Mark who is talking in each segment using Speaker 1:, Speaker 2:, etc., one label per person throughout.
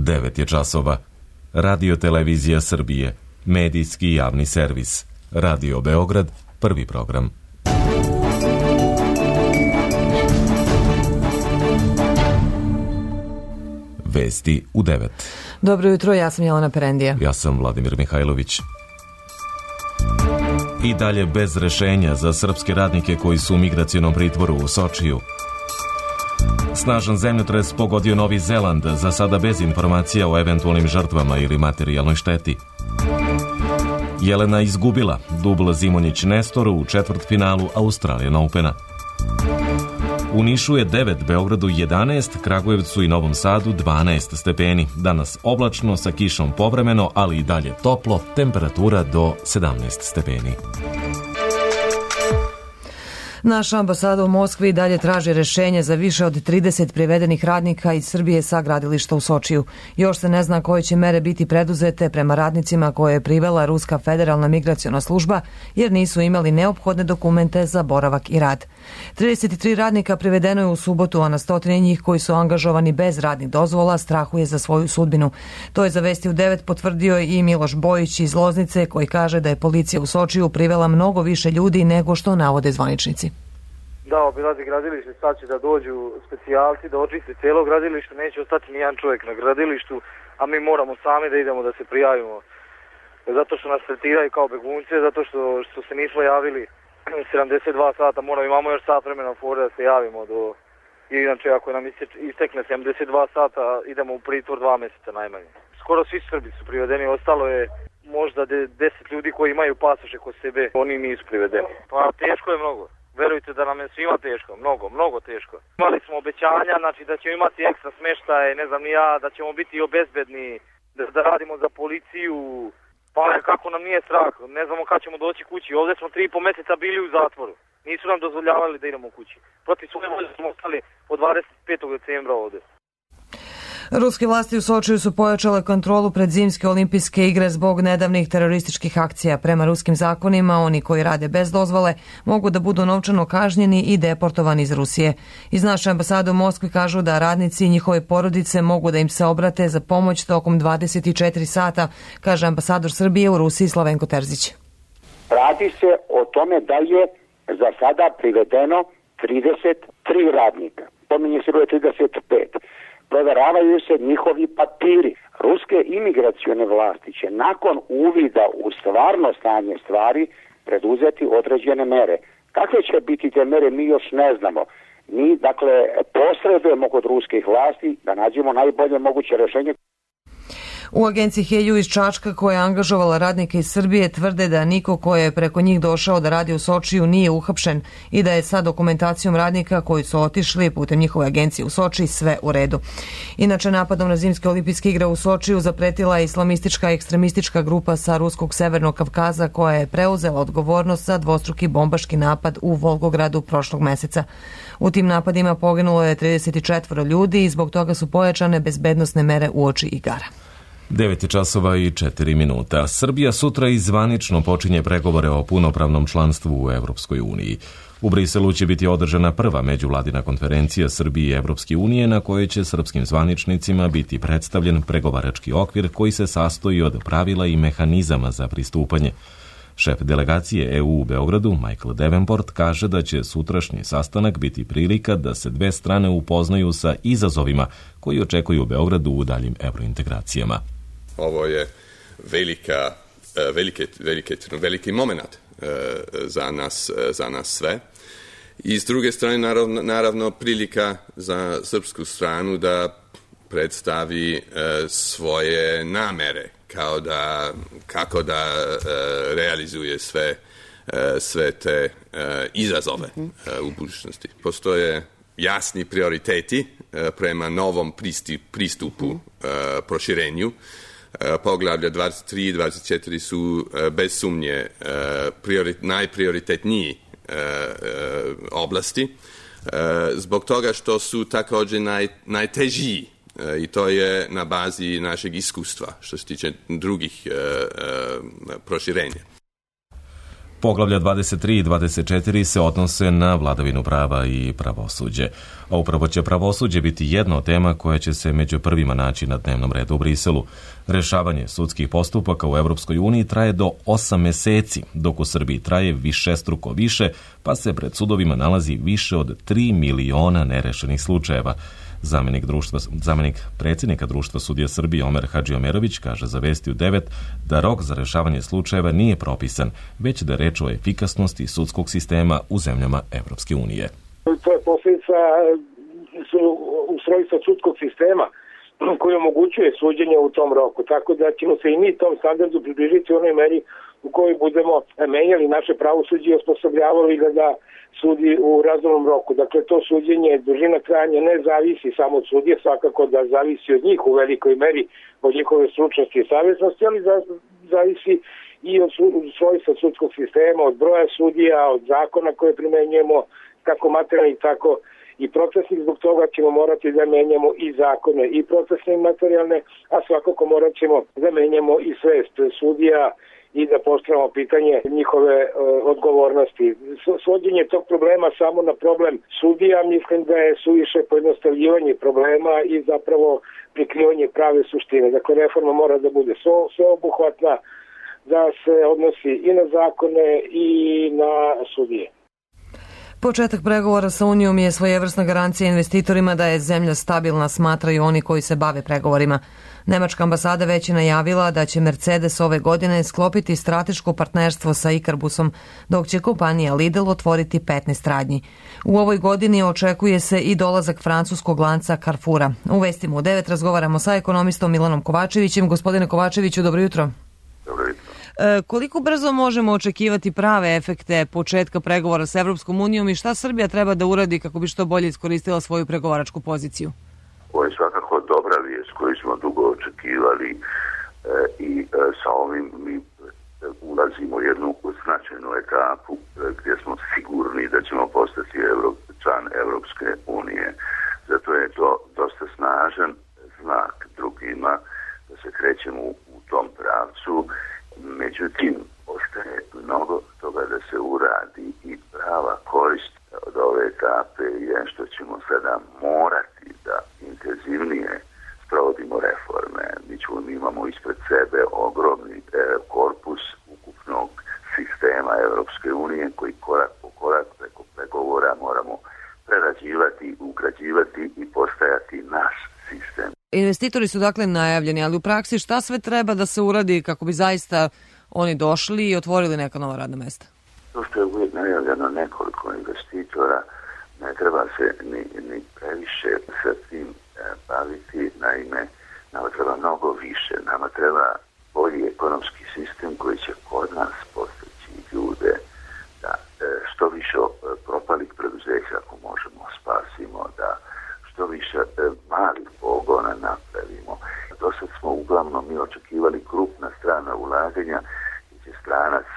Speaker 1: 9 je časova. Radio Televizija Srbije, medijski javni servis. Radio Beograd, prvi program. Vesti u 9.
Speaker 2: Dobro jutro, ja sam Jelena Perendija.
Speaker 1: Ja sam Vladimir Mihajlović. I dalje bez rešenja za srpske radnike koji su u migracionom pritvoru u Sočiju. Snažan zemljotres pogodio Novi Zeland, za sada bez informacija o eventualnim žrtvama ili materijalnoj šteti. Jelena izgubila dubl Zimonjić Nestoru u četvrtfinalu Australian Opena. U Nišu je 9, Beogradu 11, Kragujevcu i Novom Sadu 12 stepeni. Danas oblačno sa kišom povremeno, ali i dalje toplo, temperatura do 17 stepeni.
Speaker 2: Naša ambasada u Moskvi dalje traži rešenje za više od 30 privedenih radnika iz Srbije sa gradilišta u Sočiju. Još se ne zna koje će mere biti preduzete prema radnicima koje je privela Ruska federalna migraciona služba, jer nisu imali neophodne dokumente za boravak i rad. 33 radnika privedeno je u subotu, a na stotine njih koji su angažovani bez radnih dozvola strahuje za svoju sudbinu. To je za Vesti u 9 potvrdio i Miloš Bojić iz Loznice, koji kaže da je policija u Sočiju privela mnogo više ljudi nego što navode zvaničnici.
Speaker 3: Da, obilazi gradilište, sad će da dođu specijalci, da očiste cijelo gradilište, neće ostati nijedan čovjek na gradilištu, a mi moramo sami da idemo da se prijavimo. Zato što nas tretiraju kao begunce, zato što se nismo javili 72 sata, imamo još sat vremena fore da se javimo do... I inače, ako nam istekne 72 sata, idemo u pritvor 2 mjeseca najmanje. Skoro svi Srbi su privedeni, ostalo je možda 10 ljudi koji imaju pasoše kod sebe, oni nisu privedeni. Pa teško je mnogo. Verujte da nam je svima teško, mnogo teško. Imali smo obećanja, znači da ćemo imati ekstra smeštaje, ne znam ni ja, da ćemo biti obezbedni, da radimo za policiju. Pa kako nam nije strah, ne znamo kad ćemo doći kući. Ovdje smo 3,5 mjeseca bili u zatvoru. Nisu nam dozvoljavali da idemo kući. Protiv svoje volje smo ostali od 25. decembra ovdje.
Speaker 2: Ruske vlasti u Sočiju su pojačale kontrolu pred zimske olimpijske igre zbog nedavnih terorističkih akcija. Prema ruskim zakonima, oni koji rade bez dozvole mogu da budu novčano kažnjeni i deportovani iz Rusije. Iz naše ambasade u Moskvi kažu da radnici i njihove porodice mogu da im se obrate za pomoć tokom 24 sata, kaže ambasador Srbije u Rusiji Slavenko Terzić.
Speaker 4: Radi se o tome da je za sada privedeno 33 radnika. Pominje se broj 35. Proveravaju se njihovi papiri. Ruske imigracione vlasti će nakon uvida u stvarno stanje stvari preduzeti određene mere. Kakve će biti te mere, mi još ne znamo. Mi, posredujemo kod ruskih vlasti da nađemo najbolje moguće rješenje.
Speaker 2: U agenciji Helju iz Čačka, koja je angažovala radnike iz Srbije, tvrde da niko ko je preko njih došao da radi u Sočiju nije uhapšen i da je sa dokumentacijom radnika koji su otišli putem njihove agencije u Soči sve u redu. Inače, napadom na zimske olimpijske igre u Sočiju zapretila je islamistička ekstremistička grupa sa Ruskog severnog Kavkaza, koja je preuzela odgovornost za dvostruki bombaški napad u Volgogradu prošlog meseca. U tim napadima poginulo je 34 ljudi i zbog toga su pojačane bezbednosne mere uoči igara.
Speaker 1: 9 časova i 4 minuta. Srbija sutra i zvanično počinje pregovore o punopravnom članstvu u Evropskoj uniji. U Briselu će biti održana prva međuvladina konferencija Srbije i Evropske unije na kojoj će srpskim zvaničnicima biti predstavljen pregovarački okvir koji se sastoji od pravila i mehanizama za pristupanje. Šef delegacije EU u Beogradu, Michael Davenport, kaže da će sutrašnji sastanak biti prilika da se dve strane upoznaju sa izazovima koji očekuju Beogradu u daljim evrointegracijama.
Speaker 5: Ovo je veliki moment za nas sve. I s druge strane, naravno, prilika za srpsku stranu da predstavi svoje namere, kako da realizuje sve te izazove u budućnosti. Postoje jasni prioriteti prema novom pristupu proširenju. Poglavlja 23 i 24 su bez sumnje najprioritetniji oblasti, zbog toga što su također najtežiji, i to je na bazi našeg iskustva što se tiče drugih proširenja.
Speaker 1: Poglavlja 23 i 24 se odnose na vladavinu prava i pravosuđe. A upravo će pravosuđe biti jedna od tema koja će se među prvima naći na dnevnom redu u Briselu. Rešavanje sudskih postupaka u Evropskoj uniji traje do 8 meseci, dok u Srbiji traje višestruko više, pa se pred sudovima nalazi više od 3 miliona nerešenih slučajeva. Zamenik predsjednika Društva sudija Srbije Omer Hadžiomerović kaže za Vesti u 9 da rok za rešavanje slučajeva nije propisan, već da je reč o efikasnosti sudskog sistema u zemljama Evropske unije.
Speaker 6: To je posljedica ustrojstva sudskog sistema koji omogućuje suđenje u tom roku, tako da ćemo se i mi tom standardu približiti u onoj meri u kojoj budemo menjali naše pravosuđe i osposobljavali ga da sudi u razumnom roku. Dakle, to suđenje, dužina trajanja ne zavisi samo od sudije, svakako da zavisi od njih u velikoj meri, od njihove stručnosti i savjesnosti, ali zavisi i od svojstva sudskog sistema, od broja sudija, od zakona koje primenjujemo, kako materijalni, tako i procesnih. Zbog toga ćemo morati da menjamo i zakone, i procesne i materijalne, a svakako morat ćemo da menjamo i svest sudija i da postavimo pitanje njihove odgovornosti. Svođenje tog problema samo na problem sudija mislim da je suviše pojednostavljivanje problema i zapravo prikrivanje prave suštine. Dakle, reforma mora da bude sveobuhvatna, da se odnosi i na zakone i na sudije.
Speaker 2: Početak pregovora sa Unijom je svojevrsna garancija investitorima da je zemlja stabilna, smatraju oni koji se bave pregovorima. Nemačka ambasada već je najavila da će Mercedes ove godine sklopiti strateško partnerstvo sa Ikarbusom, dok će kompanija Lidl otvoriti 15 radnji. U ovoj godini očekuje se i dolazak francuskog lanca Carrefoura. U Vestima u 9 razgovaramo sa ekonomistom Milanom Kovačevićem. Gospodine Kovačeviću, dobro jutro.
Speaker 7: Dobro jutro.
Speaker 2: Koliko brzo možemo očekivati prave efekte početka pregovora sa Evropskom unijom i šta Srbija treba da uradi kako bi što bolje iskoristila svoju pregovaračku poziciju?
Speaker 7: Ovo je svakako dobra vijest koju smo dugo očekivali i sa ovim mi ulazimo u jednu značajnu etapu gdje smo sigurni da ćemo postati član Evropske unije. Zato je to dosta snažan znak drugima da se krećemo u tom pravcu. Međutim, ostaje mnogo toga da se uradi i prava korist od ove etape je što ćemo sada morati da intenzivnije sprovodimo reforme. Mi imamo ispred sebe ogromni korpus ukupnog sistema Evropske unije koji korak po korak preko pregovora moramo prerađivati, ugrađivati i postajati naš sistem.
Speaker 2: Investitori su dakle najavljeni, ali u praksi šta sve treba da se uradi kako bi zaista oni došli i otvorili neka nova radna mesta?
Speaker 7: To što je uvijek najavljeno nekoliko investitora, ne treba se ni previše sa tim baviti, naime, nama treba mnogo više, nama treba bolji ekonomski sistem koji će kod nas postići ljude da što više propalih preduzeća ako možemo spasimo, da što više malih pogona napravimo. Do sad smo uglavnom mi očekivali krupna strana ulaganja gdje će stranac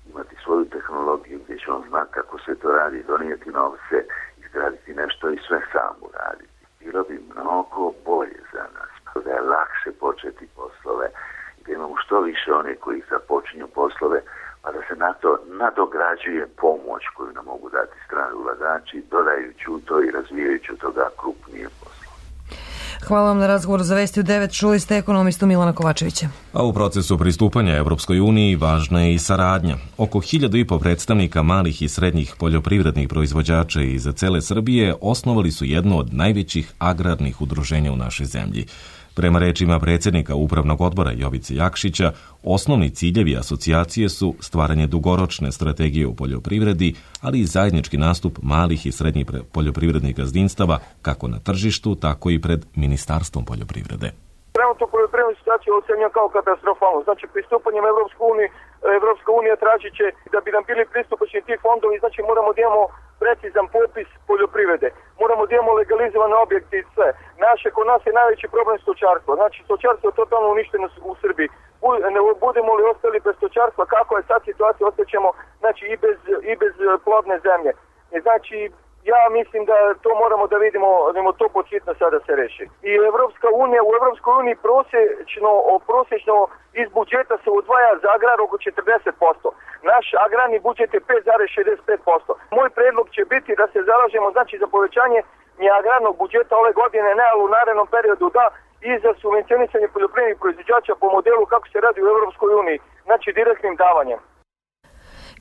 Speaker 7: imati svoju tehnologiju gdje će on znati kako se to radi, donijeti novce, izgraditi nešto i sve sam uraditi. Bilo bi mnogo bolje za nas, da je lakše početi poslove i da imamo što više one koji započinju poslove, pa da se na to nadograđuje pomoć koju nam mogu dati strani ulagači, dodajući u to i razvijajući toga krupnije poslove.
Speaker 2: Hvala vam na razgovoru za Vesti u 9. Čuli ste ekonomistu Milana Kovačevića.
Speaker 1: A u procesu pristupanja Evropskoj uniji važna je i saradnja. Oko 1.500 predstavnika malih i srednjih poljoprivrednih proizvođača iz cele Srbije osnovali su jedno od najvećih agrarnih udruženja u našoj zemlji. Prema rečima predsjednika Upravnog odbora Jovice Jakšića, osnovni ciljevi asocijacije su stvaranje dugoročne strategije u poljoprivredi, ali i zajednički nastup malih i srednjih poljoprivrednih gazdinstava kako na tržištu, tako i pred Ministarstvom poljoprivrede.
Speaker 3: Trenutno poljoprivrednu situaciju ocenjujemo kao katastrofalnu. Znači, pristupanjem Evropska unija tražit će da bi nam bili pristupačni ti fondovi, znači moramo da imamo precizan popis poljoprivrede. Moramo da imamo legalizovane objekte i sve. Kod nas je najveći problem stočarstvo. Znači, stočarstvo je totalno uništeno u Srbiji. Budemo li ostali bez stočarstva, kako je sad situacija, ostaćemo znači, i bez plodne zemlje. Znači,
Speaker 8: ja mislim da to moramo da vidimo to početno sada se reši. I u Evropskoj uniji prosječno iz budžeta se odvaja za agrar oko 40%. Naš agrarni budžet je 5,65%. Moj predlog će biti da se zalažemo za povećanje agrarnog budžeta ove godine, ne, ali u narednom periodu da, i za subvencionisanje poljoprivrednih proizvođača po modelu kako se radi u Evropskoj uniji, znači direktnim davanjem.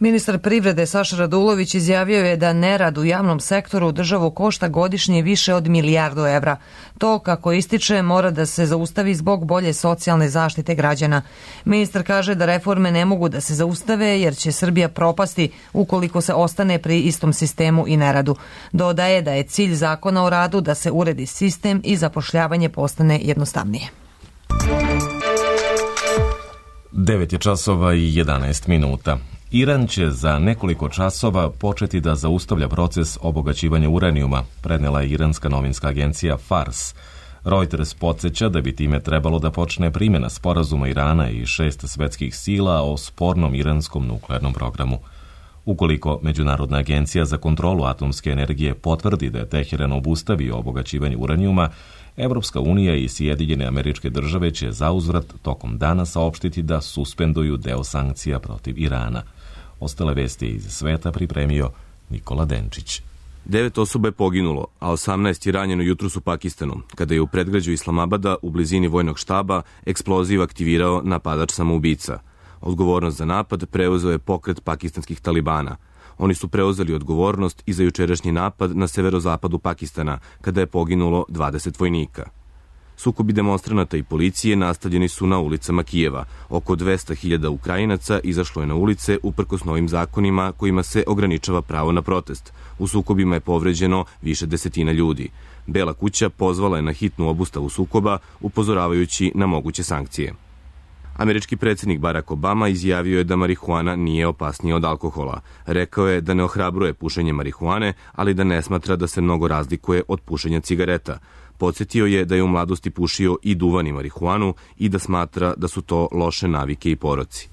Speaker 2: Ministar privrede Saša Radulović izjavio je da nerad u javnom sektoru državu košta godišnje više od milijardu evra. To, kako ističe, mora da se zaustavi zbog bolje socijalne zaštite građana. Ministar kaže da reforme ne mogu da se zaustave jer će Srbija propasti ukoliko se ostane pri istom sistemu i neradu. Dodaje da je cilj zakona o radu da se uredi sistem i zapošljavanje postane jednostavnije.
Speaker 1: 9 je časova i 11 minuta. Iran će za nekoliko časova početi da zaustavlja proces obogaćivanja uranijuma, prenela je iranska novinska agencija Fars. Reuters podsjeća da bi time trebalo da počne primjena sporazuma Irana i 6 svetskih sila o spornom iranskom nuklearnom programu. Ukoliko Međunarodna agencija za kontrolu atomske energije potvrdi da je Teheran obustavio obogaćivanje uranijuma, Evropska unija i Sjedinjene Američke Države će zauzvrat tokom dana saopštiti da suspenduju deo sankcija protiv Irana. Ostale vesti iz sveta pripremio Nikola Denčić.
Speaker 9: 9 osoba je poginulo, a 18 je ranjeno jutros u Pakistanu, kada je u predgrađu Islamabada u blizini vojnog štaba eksploziv aktivirao napadač samoubica. Odgovornost za napad preuzeo je pokret pakistanskih talibana. Oni su preuzeli odgovornost i za jučerašnji napad na severozapadu Pakistana, kada je poginulo 20 vojnika. Sukobi demonstranata i policije nastavljeni su na ulicama Kijeva. Oko 200.000 Ukrajinaca izašlo je na ulice uprkos novim zakonima kojima se ograničava pravo na protest. U sukobima je povređeno više desetina ljudi. Bela kuća pozvala je na hitnu obustavu sukoba, upozoravajući na moguće sankcije. Američki predsjednik Barack Obama izjavio je da marihuana nije opasnija od alkohola. Rekao je da ne ohrabruje pušenje marihuane, ali da ne smatra da se mnogo razlikuje od pušenja cigareta. Podsjetio je da je u mladosti pušio i duvan i marihuanu i da smatra da su to loše navike i poroci.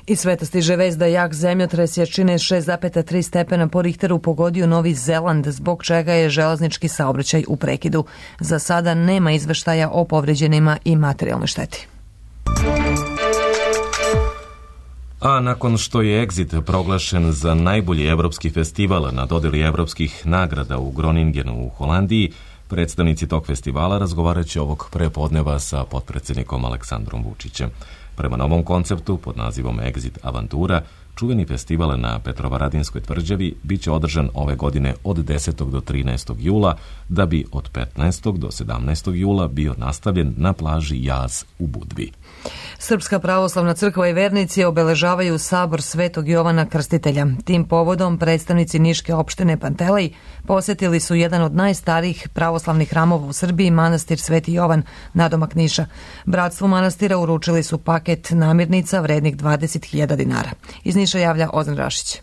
Speaker 2: Iz sveta stiže vest da jak zemljotres jačine 6,3 stepena po Richteru pogodio Novi Zeland, zbog čega je železnički saobraćaj u prekidu. Za sada nema izveštaja o povređenima i materijalnoj šteti.
Speaker 1: A nakon što je Exit proglašen za najbolji evropski festival na dodeli evropskih nagrada u Groningenu u Holandiji, predstavnici tog festivala razgovarat će ovog prepodneva sa potpredsjednikom Aleksandrom Vučićem. Prema novom konceptu pod nazivom Exit Avantura, čuveni festival na Petrovaradinskoj tvrđavi biće održan ove godine od 10. do 13. jula, da bi od 15. do 17. jula bio nastavljen na plaži Jaz u Budvi.
Speaker 2: Srpska pravoslavna crkva i vernici obeležavaju sabor Svetog Jovana Krstitelja. Tim povodom predstavnici Niške opštine Pantelej posjetili su jedan od najstarijih pravoslavnih hramova u Srbiji, manastir Sveti Jovan, nadomak Niša. Bratstvu manastira uručili su paket namirnica vrednih 20.000 dinara. Iz Niša javlja Ozan Rašić.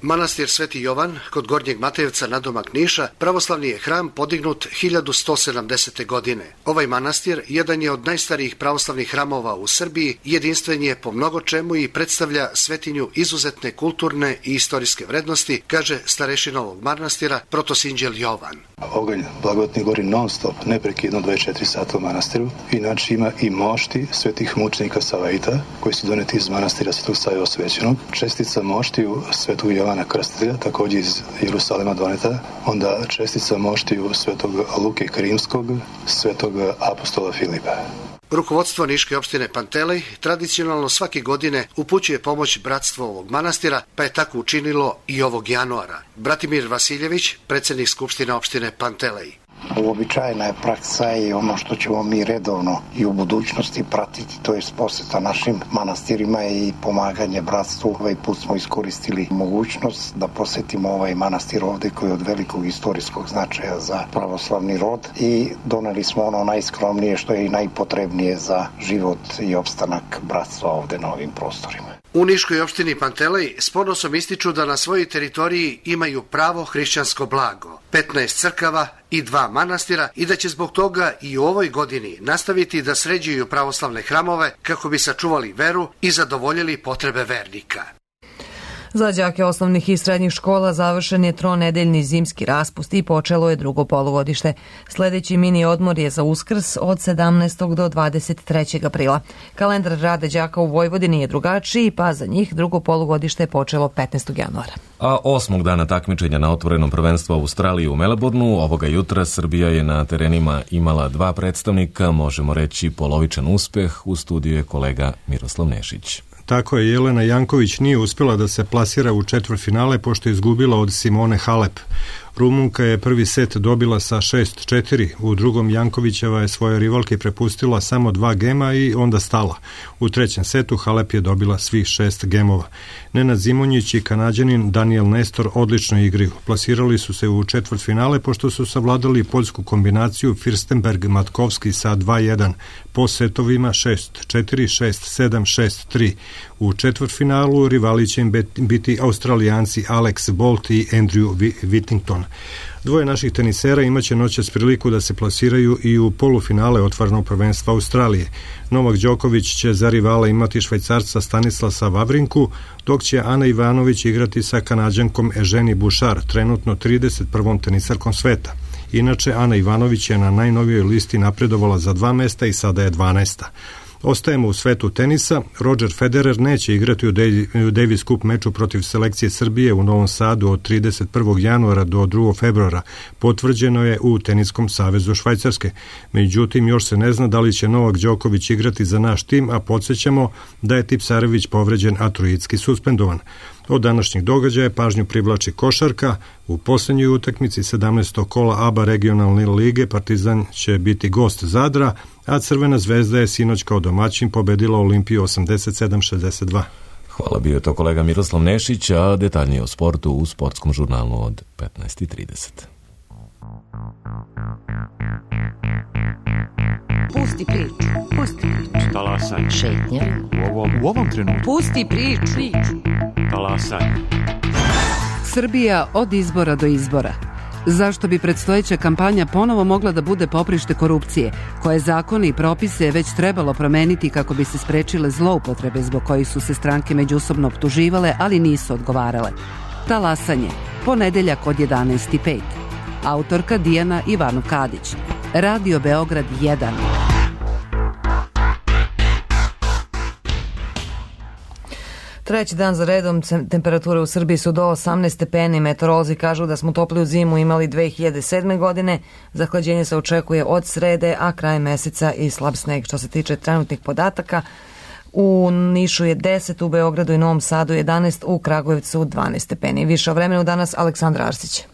Speaker 10: Manastir Sveti Jovan, kod Gornjeg Matejevca nadomak Niša, pravoslavni je hram podignut 1170. godine. Ovaj manastir jedan je od najstarijih pravoslavnih hramova u Srbiji, jedinstven je po mnogo čemu i predstavlja svetinju izuzetne kulturne i istorijske vrednosti, kaže starešina ovog manastira, protosinđel Jovan.
Speaker 11: Oganj blagodatni gori non stop, neprekidno 24 sata u manastiru. Inače ima i mošti svetih mučenika Savaita, koji su doneti iz manastira Svetog Save Osvećenog. Čestica moštiju Svetog Jovana Krstitelja, također iz Jerusalima doneta, onda čestica moštiju Svetog Luke Krimskog, Svetog apostola Filipa.
Speaker 10: Rukovodstvo Niške opštine Pantelej tradicionalno svake godine upućuje pomoć bratstvu ovog manastira, pa je tako učinilo i ovog januara. Bratimir Vasiljević, predsjednik Skupštine opštine Pantelej.
Speaker 12: Uobičajena je praksa i ono što ćemo mi redovno i u budućnosti pratiti, to je posjeta našim manastirima i pomaganje bratstvu. Ovaj put smo iskoristili mogućnost da posjetimo ovaj manastir ovdje koji je od velikog istorijskog značaja za pravoslavni rod i doneli smo ono najskromnije što je i najpotrebnije za život i opstanak bratstva ovdje na ovim prostorima.
Speaker 10: U Niškoj opštini Pantelej s ponosom ističu da na svojoj teritoriji imaju pravo hrišćansko blago, 15 crkava i 2 manastira i da će zbog toga i u ovoj godini nastaviti da sređuju pravoslavne hramove kako bi sačuvali veru i zadovoljili potrebe vernika.
Speaker 2: Za đake osnovnih i srednjih škola završen je tronedeljni zimski raspust i počelo je drugo polugodište. Sledeći mini odmor je za Uskrs od 17. do 23. aprila. Kalendar rada đaka u Vojvodini je drugačiji, pa za njih drugo polugodište je počelo 15. januara.
Speaker 1: A 8. dana takmičenja na otvorenom prvenstvu Australije u Melbourneu ovoga jutra Srbija je na terenima imala 2 predstavnika, možemo reći polovičan uspeh. U studiju je kolega Miroslav Nešić.
Speaker 13: Tako je, Jelena Janković nije uspjela da se plasira u četvrtfinale pošto je izgubila od Simone Halep. Rumunka je prvi set dobila sa 6-4, u drugom Jankovićeva je svoje rivalke prepustila samo 2 gema i onda stala. U trećem setu Halep je dobila svih 6 gemova. Nenad Zimonjić i Kanađanin Daniel Nestor odlično igraju. Plasirali su se u četvrtfinale pošto su savladali poljsku kombinaciju Firstenberg-Matkovski sa 2-1, po setovima 6-4, 6-7, 6-3. U četvrtfinalu rivali će im biti Australijanci Alex Bolt i Andrew Whittington. Dvoje naših tenisera imaće noćas priliku da se plasiraju i u polufinale otvorenog prvenstva Australije. Novak Đoković će za rivala imati Švajcarca Stanislasa Vavrinku, dok će Ana Ivanović igrati sa Kanađankom Eženi Bušar, trenutno 31. tenisarkom sveta. Inače, Ana Ivanović je na najnovijoj listi napredovala za 2 mesta i sada je 12. Ostajemo u svetu tenisa. Roger Federer neće igrati u Davis Cup meču protiv selekcije Srbije u Novom Sadu od 31. januara do 2. februara. Potvrđeno je u Teniskom savezu Švajcarske. Međutim, još se ne zna da li će Novak Đoković igrati za naš tim, a podsjećamo da je Tipsarević povređen, a Trojicki suspendovan. Od današnjih događaja pažnju privlači košarka. U posljednjoj utakmici 17. kola ABA regionalne lige Partizan će biti gost Zadra, a Crvena zvezda je sinoć kao domaćin pobedila Olimpiju 87-62.
Speaker 1: Hvala, bio je to kolega Miroslav Nešić, a detaljnije o sportu u sportskom žurnalu od 15:30.
Speaker 14: Pusti priču, pusti priču.
Speaker 15: Talasaj.
Speaker 14: Šetnja.
Speaker 15: U ovom trenutku.
Speaker 14: Pusti priču.
Speaker 15: Talasaj.
Speaker 16: Srbija od izbora do izbora. Zašto bi predstojeća kampanja ponovo mogla da bude poprište korupcije, koje zakone i propise je već trebalo promeniti kako bi se sprečile zloupotrebe zbog kojih su se stranke međusobno optuživale, ali nisu odgovarale. Talasanje, ponedeljak od 11:05. Autorka Dijana Ivanov Kadić. Radio Beograd 1.
Speaker 2: Treći dan za redom temperature u Srbiji su do 18 stepeni. Meteorolozi kažu da smo topliju zimu imali 2007. godine. Zahlađenje se očekuje od srede, a kraj meseca i slab sneg. Što se tiče trenutnih podataka, u Nišu je 10, u Beogradu i Novom Sadu 11, u Kragujevcu 12 stepeni. Više o vremenu danas Aleksandra Arsić.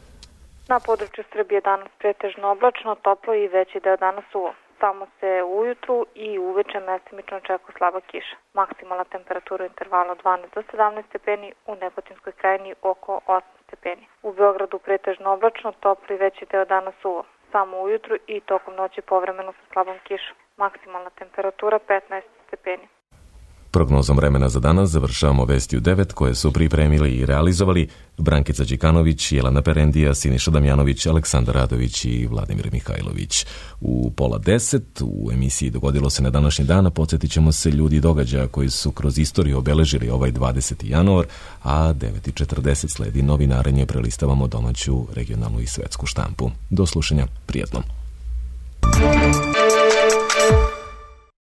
Speaker 17: Na području Srbije danas pretežno oblačno, toplo i veći deo danas suvo. Samo se ujutru i uveče mestimično očekuje slaba kiša. Maksimalna temperatura u intervalu 12 do 17 stepeni, u Negotinskoj krajini oko 8 stepeni. U Beogradu pretežno oblačno, toplo i veći deo dana suvo. Samo ujutru i tokom noći povremeno sa slabom kišom. Maksimalna temperatura 15 stepeni.
Speaker 1: Prognozom vremena za danas završavamo vesti u 9 koje su pripremili i realizovali Brankica Đikanović, Jelena Perendija, Siniša Damjanović, Aleksandar Radović i Vladimir Mihajlović. U 9:30 u emisiji Dogodilo se na današnji dan, podsjetit ćemo se ljudi i događaja koji su kroz istoriju obeležili ovaj 20. januar, a 9:40 sledi novinarenje, prelistavamo domaću, regionalnu i svetsku štampu. Do slušanja, prijatno.